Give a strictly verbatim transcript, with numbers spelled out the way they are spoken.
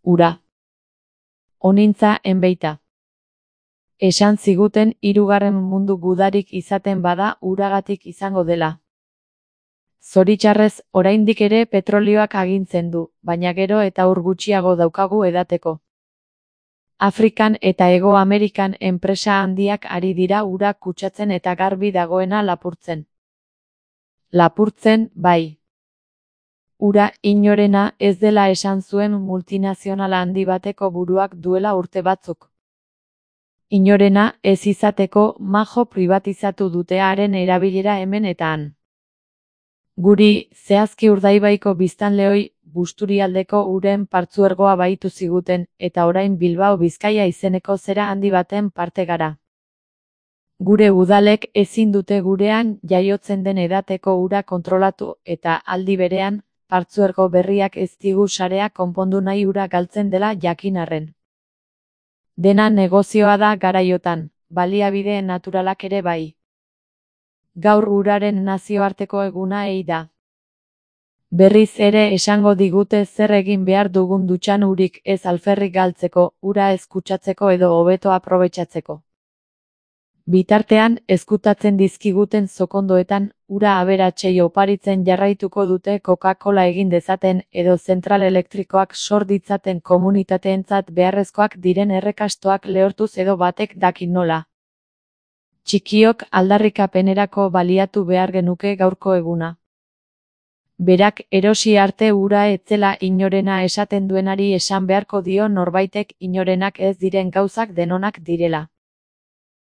Ura. Onintza enbeita. Esan ziguten hirugarren mundu gudarik izaten bada uragatik izango dela. Zoritxarrez, oraindik ere petrolioak agintzen du, baina gero eta ur gutxiago daukagu edateko. Afrikan eta Hego Amerikan enpresa handiak ari dira ura kutsatzen eta garbi dagoena lapurtzen. Lapurtzen, bai. Ura inorena ez dela esan zuen multinazionala handi bateko buruak duela urte batzuk. Inorena ez izateko majo pribatizatu dute haren erabilera hemen eta han. Guri, zehazki Urdaibaiko biztanleoi, Busturialdeko uren partzuergoa bahitu ziguten, eta orain Bilbao Bizkaia izeneko zera handi baten parte gara. Gure udalek ezin dute gurean jaiotzen den edateko ura kontrolatu eta aldi berean, partzuergo berriak ez digu sarea konpondu nahi ura galtzen dela jakin arren. Dena negozioa da garaiotan, baliabide naturalak ere bai. Gaur uraren nazioarteko eguna ei da. Berriz ere esango digute zer egin behar dugun dutxan urik ez alferrik galtzeko, ura ez kutsatzeko edo hobeto aprobetxatzeko. Bitartean, ezkutatzen dizkiguten zokondoetan, ura aberatsei oparitzen jarraituko dute Coca-Cola egin dezaten edo zentral elektrikoak sor ditzaten komunitateentzat beharrezkoak diren errekastoak lehortuz edo batek daki nola. Txikiok aldarrikapenerako baliatu behar genuke gaurko eguna. Berak erosi arte ura etzela inorena esaten duenari esan beharko dio norbaitek inorenak ez diren gauzak denonak direla.